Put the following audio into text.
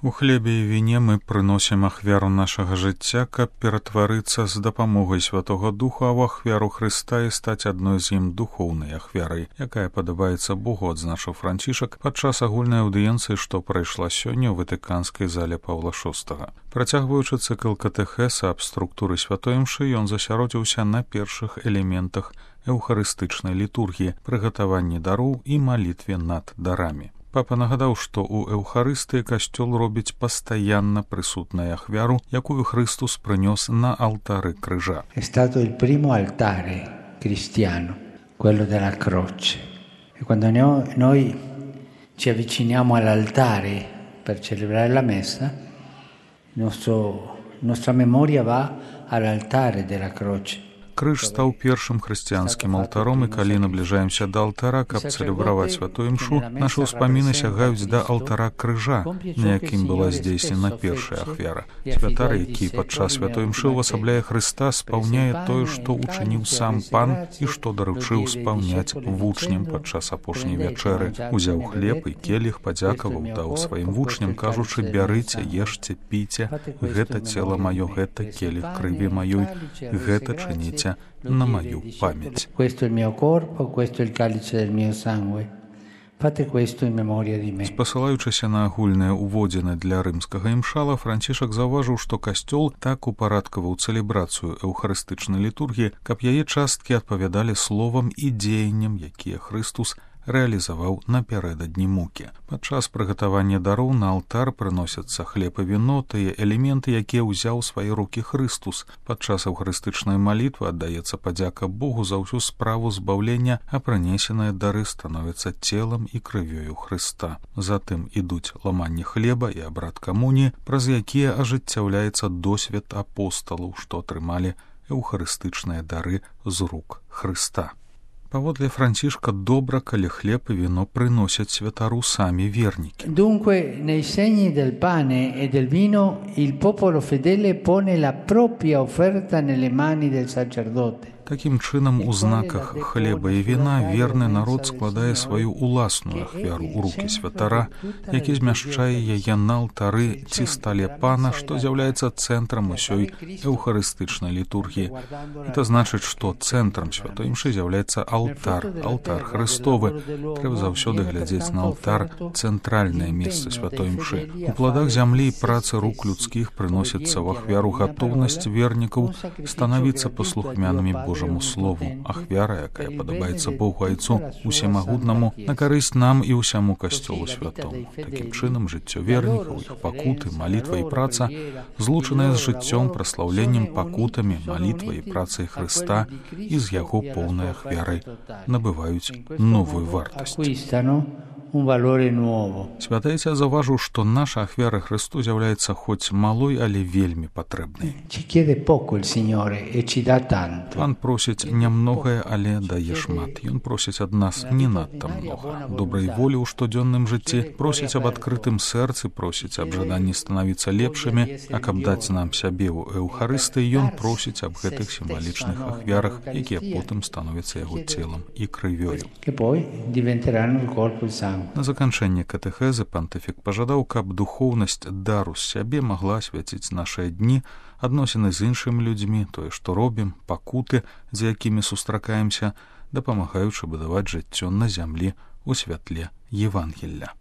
У хлебе і віне мы прыносім ахвяру нашага жыцця, каб ператварыцца з дапамогай Святога Духа ў ахвяру Хрыста і стаць адной з ім духоўнай ахвярай, якая падабаецца Богу, адзначыў Францішак падчас агульнай аўдыенцыі, што прайшла сёння ў Ватыканскай зале Паўла VI. Працягваючы цыкл катэхеса аб структуры святой імшы, ён засяродзіўся на першых элементах эўхарыстычнай літургіі, прыгатаванні дароў і малітве над дарамі. Папа нагадаў, што ў эўхарыстыі касцёл робіць пастаянна прысутнай ахвяру, якую Христус прынёс на алтары крыжа. È stato il primo altare cristiano, quello della croce. E quando noi ci avviciniamo all'altare per celebrare la messa, nostra memoria va all'altare della croce. Крыж стаў першым хрысціянскім алтаром, і калі набліжаемся да алтара, каб цэлебраваць святую імшу, нашы ўспаміны сягаюць да алтара крыжа, на якім была здзейснена першая ахвяра. Святар, які падчас святой імшы ўвасабляе Хрыста, спаўняе тое, што учыніў сам Пан і што даручыў спаўняць вучням падчас апошняй вячэры. Узяў хлеб і келіх, падзякаваў, даў сваім вучням, кажучы: «Бярыце, ешце, піце, гэта цела маё, гэта келіх крыві маёй, гэта чыніце на мою память». Спасылаючыся на агульныя ўводзіны для рымскага імшала, Францішак заўважыў, што касцёл так упарадкаваў цэлебрацыю эўхарыстычнай літургіі, каб яе часткі адпавядалі словам і дзеянням, якія Хрыстус рэалізаваў напярэдадні мукі. Падчас прыгатавання дароў на алтар прыносяцца хлеб і віно, тыя элементы, якія ўзяў свае рукі Хрыстус. Падчас эўхарыстычнай малітвы аддаецца падзяка Богу за ўсю справу збаўлення, а прынесеныя дары становяцца целам і крывёю Хрыста. Затым ідуць ламанне хлеба і абрад камуніі, праз якія ажыццяўляецца досвед апосталаў, што атрымалі эўхарыстычныя дары з рук Хрыста. Паводле Францішка, добра, калі хлеб і віно прыносяць святару самі вернікі. Dunque, nei segni del pane e del vino, il popolo fedele pone la propria offerta nelle mani del sacerdote. Такім чынам, у знаках хлеба і віна верны народ складае сваю уласную ахвяру ў рукі святара, які змяшчае яе на алтары ці стале Пана, што з'яўляецца цэнтрам усёй эўхарыстычнай літургіі. Это значыць, што цэнтрам святой імшы з'яўляецца алтар, алтар Хрыстовы. Трэба заўсёды глядзець на алтар, цэнтральнае месца святой імшы. У пладах зямлі і працы рук людскіх прыносіцца ў ахвяру гатоўнасць вернікаў станавіцца паслухмянымі Божаму слову, ахвяра, якая падабаецца Богу Айцу усемагутнаму, на карысць нам і ўсяму касцёлу святому. Такім чынам, жыццё вернікаў, іх пакуты, малітва і праца, злучаныя з жыццём, праслаўленнем, пакутамі, малітвай і працай Хрыста і з яго поўнай ахвярай набываюць новую вартасць. Святы Айця заўважыў, што наша ахвяра Хрысту з'яўляецца хоць малой, але вельмі патрэбнай. Пан просіць нямногае, але дае шмат. Ён просіць ад нас не надта многа. Добрай волі ў штодзённым жыцці, просіць аб адкрытым сэрцы, просіць аб жаданні станавіцца лепшымі, а каб даць нам сябе ў эўхарыстыі, ён просіць аб гэтых сімвалічных ахвярах, якія потым становяцца яго целам і крывёю. На заканчэнне катэхезы пантыфік пажадаў, каб духоўнасць дару з сябе магла асвяціць нашыя дні, адносіны з іншымі людзьмі, тое, што робім, пакуты, з якімі сустракаемся, дапамагаючы будаваць жыццё на зямлі ў святле Евангелля.